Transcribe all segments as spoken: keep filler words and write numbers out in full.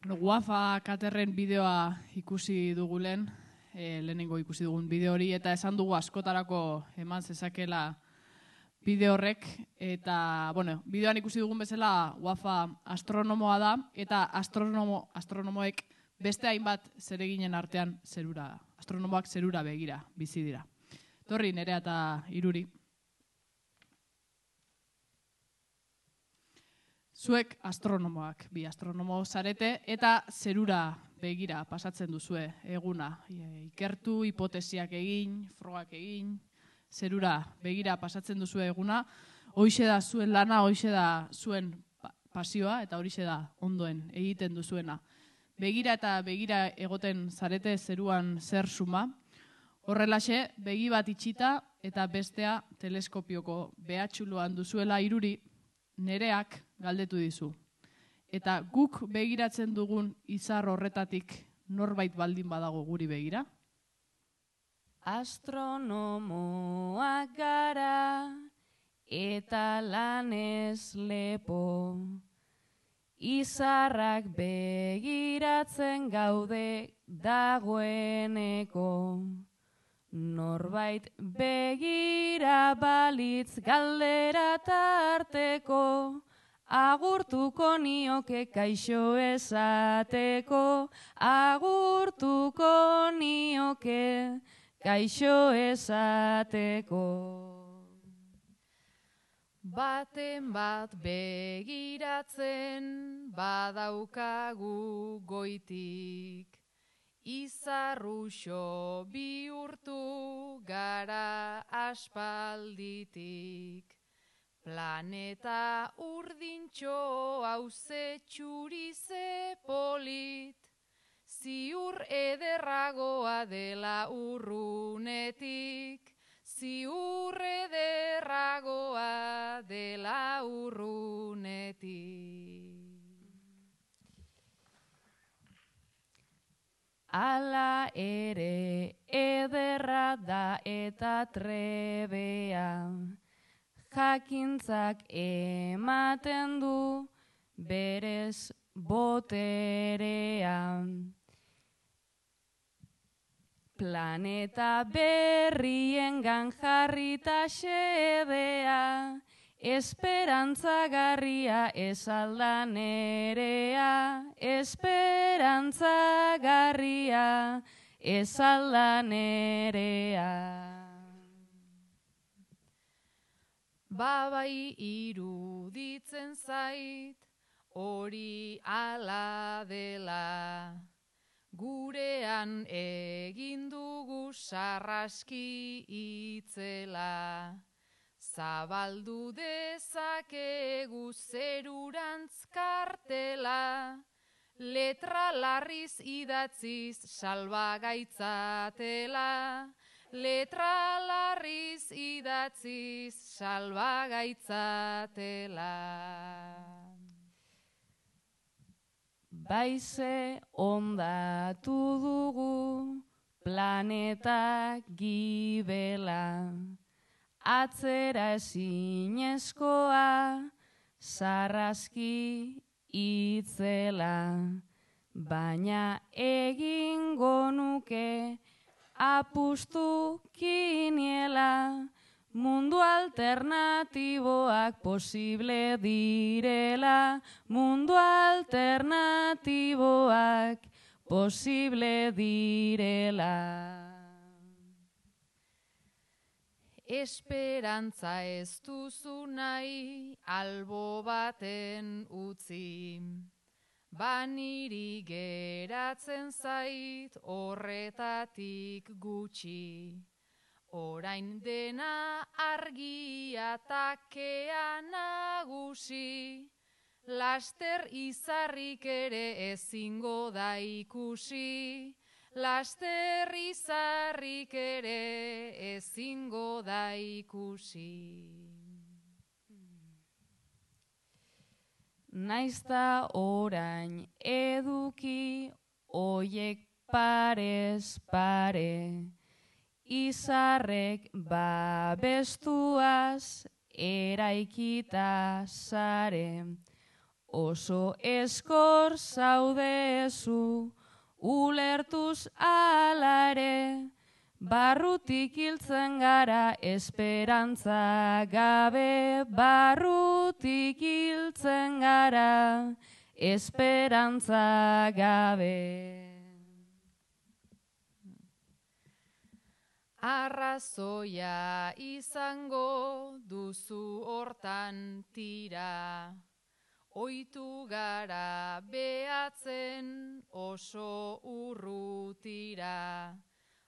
Wafa Katerren bideoa ikusi dugulen, e, lehenengo ikusi dugun bideo hori, eta esan dugu askotarako eman zezakela bideo horrek, eta, bueno, bideoan ikusi dugun bezala Wafa astronomoa da, eta astronomo, astronomoek beste hainbat zereginen artean zerura, astronomoak zerura begira bizi dira. Torri, Nerea eta Iruri. Zuek astronomoak, bi astronomo zarete, eta zerura begira pasatzen duzue eguna. Ikertu, hipotesiak egin, frogak egin, zerura begira pasatzen duzue eguna. Hoixe da zuen lana, hoixe da zuen pasioa, eta horixe da ondoen egiten duzuena. Begira eta begira egoten zarete zeruan zer suma. Horrelaxe, begi bat itxita eta bestea teleskopioko behatxuluan duzuela Iruri, Nereak galdetu dizu. Eta guk begiratzen dugun izar horretatik norbait baldin badago guri begira? Astronomoak gara eta lanez lepo, izarrak begiratzen gaude dagoeneko. Norbait begira balitz galdera tarteko, agurtuko nioke kaixo esateko, agurtuko nioke kaixo esateko. Baten bat begiratzen badaukagu goitik, izarruxo bihurtu gara aspalditik. Planeta urdintxo hauze txurize polit, ziur ederragoa dela urrunetik, ziur ederragoa dela urrunetik. Ala ere ederra da eta trebea, jakintzak ematen du berez boterea. Planeta berriengan jarrita xedea, esperantzagarria ez alda Nerea, esperantzagarria ez alda Nerea. Babai iruditzen zait, hori ala dela, gurean egin dugu sarraski itzela. Zabaldu dezakegu zerurantz kartela, letra larriz idatziz salbagaitzatela, letra larriz idatziz salbagaitzatela. Baize ondatu dugu planeta gibela, atzera ezinezkoa sarraski itzela, baina egingo nuke apustu kiniela, mundu alternatiboak posible direla, mundu alternatiboak posible direla. Esperantza ez duzu nahi albo baten utzi, baniri geratzen zait horretatik gutxi. Orain dena argia takea nagusi, laster izarrik ere ezingo da ikusi, laster izarrik ere ezingo da ikusi. Naizta orain eduki oiek parez pare, izarrek babestuaz eraikita zare, oso eskor zaudezu, ulertuz alare, barrutik hiltzen gara esperantza gabe, barrutik hiltzen gara esperantza gabe. Arrazoia izango duzu hortan tira, oitu gara behatzen oso urrutira,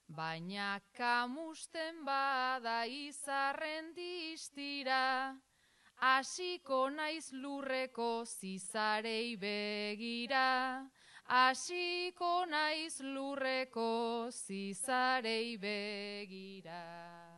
baina kamusten bada izarren distira, hasiko naiz lurreko zizarei begira, hasiko naiz lurreko zizarei begira.